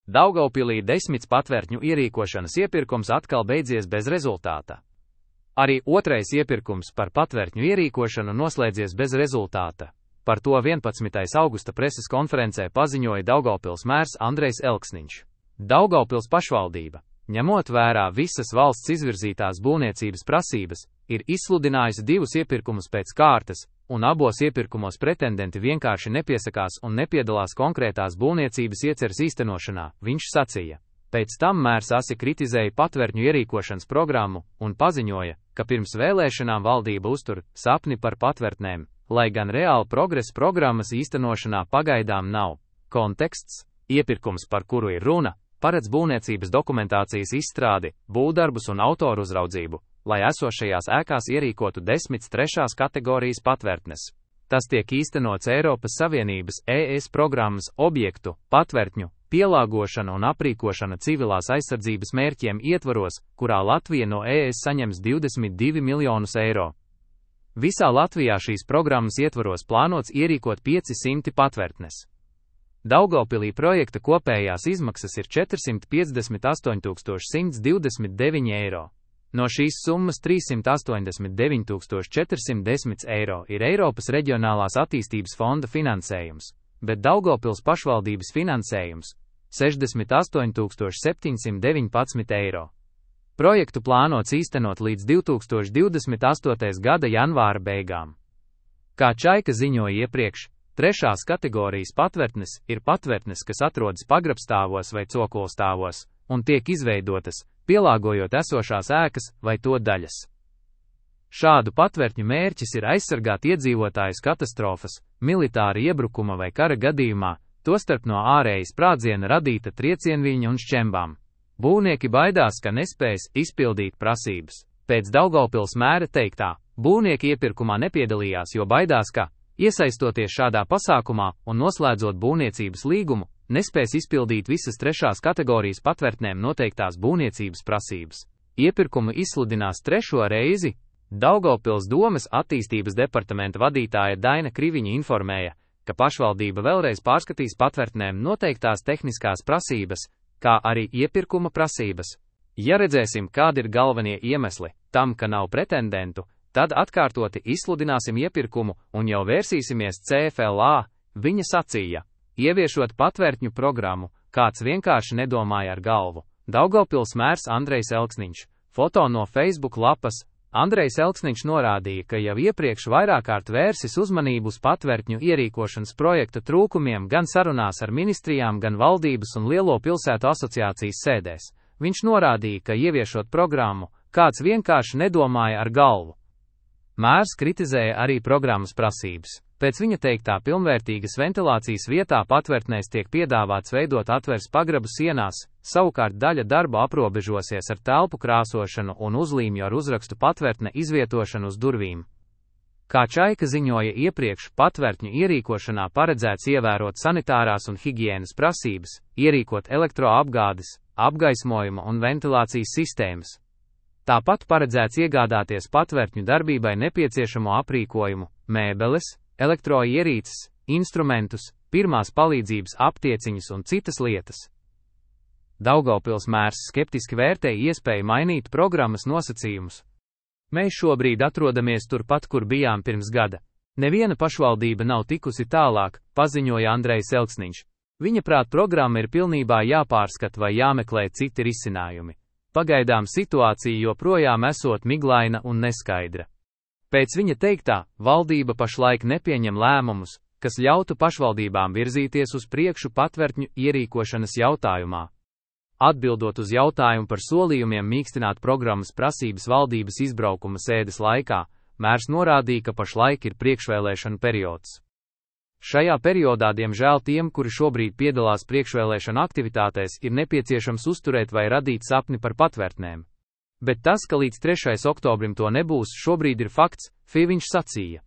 Daugavpilī 10 patvērtņu ierīkošanas iepirkums atkal beidzies bez rezultāta. Arī otrais iepirkums par patvērtņu ierīkošanu noslēdzies bez rezultāta. Par to 11. augusta preses konferencē paziņoja Daugavpils mērs Andrejs Elksniņš. Daugavpils pašvaldība, ņemot vērā visas valsts izvirzītās būvniecības prasības, ir izsludinājusi 2 iepirkumus pēc kārtas, un abos iepirkumos pretendenti vienkārši nepiesakās un nepiedalās konkrētās būvniecības ieceres īstenošanā, viņš sacīja. Pēc tam mērs asi kritizēja patvērtņu ierīkošanas programmu un paziņoja, ka pirms vēlēšanām valdība uztur sapni par patvērtnēm, lai gan reāli progresa programmas īstenošanā pagaidām nav. Konteksts: iepirkums, par kuru ir runa, paredz būvniecības dokumentācijas izstrādi, būvdarbus un autoru uzraudzību, lai esošajās ēkās ierīkotu 10 trešās kategorijas patvērtnes. Tas tiek īstenots Eiropas Savienības ES programmas objektu, patvērtņu, pielāgošana un aprīkošana civilās aizsardzības mērķiem ietvaros, kurā Latvija no ES saņems 22 miljonus eiro. Visā Latvijā šīs programmas ietvaros plānots ierīkot 500 patvērtnes. Daugavpilī projekta kopējās izmaksas ir 458 129 eiro. No šīs summas 389 410 eiro ir Eiropas Reģionālās attīstības fonda finansējums, bet Daugavpils pašvaldības finansējums – 68 719 eiro. Projektu plānots īstenot līdz 2028. gada janvāra beigām. Kā Čaika ziņoja iepriekš, trešās kategorijas patvērtnes ir patvērtnes, kas atrodas pagrabstāvos vai cokolstāvos, un tiek izveidotas, pielāgojot esošās ēkas vai to daļas. Šādu patvērtņu mērķis ir aizsargāt iedzīvotājus katastrofas, militāra iebrukuma vai kara gadījumā, tostarp no ārējas sprādziena radīta triecienviļņa un šķembām. Būvnieki baidās, ka nespēs izpildīt prasības. Pēc Daugavpils mēra teiktā, būvnieki iepirkumā nepiedalījās, jo baidās, ka, iesaistoties šādā pasākumā un noslēdzot būvniecības līgumu, nespēs izpildīt visas trešās kategorijas patvērtnēm noteiktās būvniecības prasības. Iepirkumu izsludinās 3. reizi. Daugavpils domes attīstības departamenta vadītāja Daina Kriviņa informēja, ka pašvaldība vēlreiz pārskatīs patvērtnēm noteiktās tehniskās prasības, kā arī iepirkuma prasības. Ja redzēsim, kādi ir galvenie iemesli tam, ka nav pretendentu, tad atkārtoti izsludināsim iepirkumu un jau vērsīsimies CFLA, viņa sacīja. Ieviešot patvērtņu programmu, kāds vienkārši nedomāja ar galvu. Daugavpils mērs Andrejs Elksniņš. Foto no Facebook lapas. Andrejs Elksniņš norādīja, ka jau iepriekš vairāk kārt vērsis uzmanību uz patvērtņu ierīkošanas projekta trūkumiem gan sarunās ar ministrijām, gan valdības un lielo pilsētu asociācijas sēdēs. Viņš norādīja, ka ieviešot programmu, kāds vienkārši nedomāja ar galvu. Mērs kritizēja arī programmas prasības. Pēc viņa teiktā pilnvērtīgas ventilācijas vietā patvērtnēs tiek piedāvāts veidot atveres pagrabu sienās, savukārt daļa darba aprobežosies ar telpu krāsošanu un uzlīmju ar uzrakstu patvērtne izvietošanu uz durvīm. Kā Čaika ziņoja iepriekš, patvērtņu ierīkošanā paredzēts ievērot sanitārās un higienas prasības, ierīkot elektroapgādes, apgaismojuma un ventilācijas sistēmas. Tāpat paredzēts iegādāties patvērtņu darbībai nepieciešamo aprīkojumu, mēbeles, elektroierīces, instrumentus, pirmās palīdzības aptieciņas un citas lietas. Daugavpils mērs skeptiski vērtēja iespēju mainīt programmas nosacījumus. Mēs šobrīd atrodamies turpat, kur bijām pirms gada. Neviena pašvaldība nav tikusi tālāk, paziņoja Andrejs Elksniņš. Viņa prāt programma ir pilnībā jāpārskata vai jāmeklē citi risinājumi. Pagaidām situācija joprojām esot miglaina un neskaidra. Pēc viņa teiktā, valdība pašlaik nepieņem lēmumus, kas ļautu pašvaldībām virzīties uz priekšu patvērtņu ierīkošanas jautājumā. Atbildot uz jautājumu par solījumiem mīkstināt programmas prasības valdības izbraukuma sēdes laikā, mērs norādīja, ka pašlaik ir priekšvēlēšanu periods. Šajā periodā, diemžēl, tiem, kuri šobrīd piedalās priekšvēlēšanu aktivitātēs, ir nepieciešams uzturēt vai radīt sapni par patvērtnēm. Bet tas, ka līdz 3. oktobrim to nebūs, šobrīd ir fakts, viņš sacīja.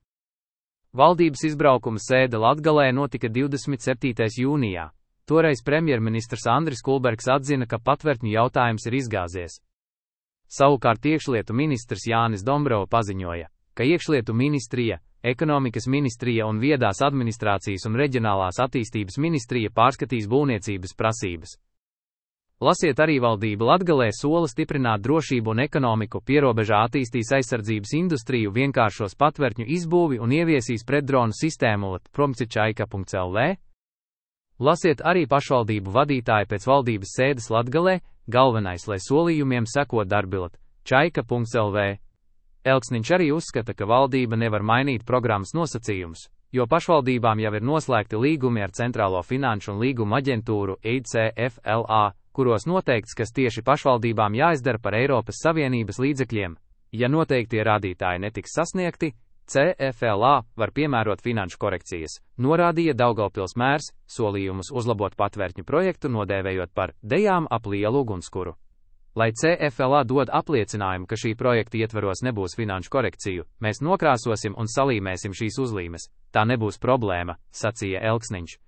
Valdības izbraukuma sēde Latgalē notika 27. jūnijā. Toreiz premjerministrs Andris Kulbergs atzina, ka patvērtņu jautājums ir izgāzies. Savukārt iekšlietu ministrs Jānis Dombrova paziņoja, ka iekšlietu ministrija, ekonomikas ministrija un viedās administrācijas un reģionālās attīstības ministrija pārskatīs būvniecības prasības. Lasiet arī valdība Latgalē sola stiprināt drošību un ekonomiku, pierobežā attīstīs aizsardzības industriju, vienkāršos patvērtņu izbūvi un ieviesīs pretdronu sistēmu lat.promcičaika.lv. Lasiet arī pašvaldību vadītāji pēc valdības sēdes Latgalē, galvenais, lai solījumiem seko darbilat. Čaika.lv. Elksniņš arī uzskata, ka valdība nevar mainīt programmas nosacījumus, jo pašvaldībām jau ir noslēgti līgumi ar Centrālo finanšu un līguma aģentūru CFLA, kuros noteikts, kas tieši pašvaldībām jāizdara par Eiropas Savienības līdzekļiem. Ja noteiktie rādītāji netiks sasniegti, CFLA var piemērot finanšu korekcijas, norādīja Daugavpils mērs, solījumus uzlabot patvērtņu projektu nodēvējot par dejām ap lielu ugunskura. Lai CFLA dod apliecinājumu, ka šī projekta ietveros nebūs finanšu korekciju, mēs nokrāsosim un salīmēsim šīs uzlīmes. Tā nebūs problēma, sacīja Elksniņš.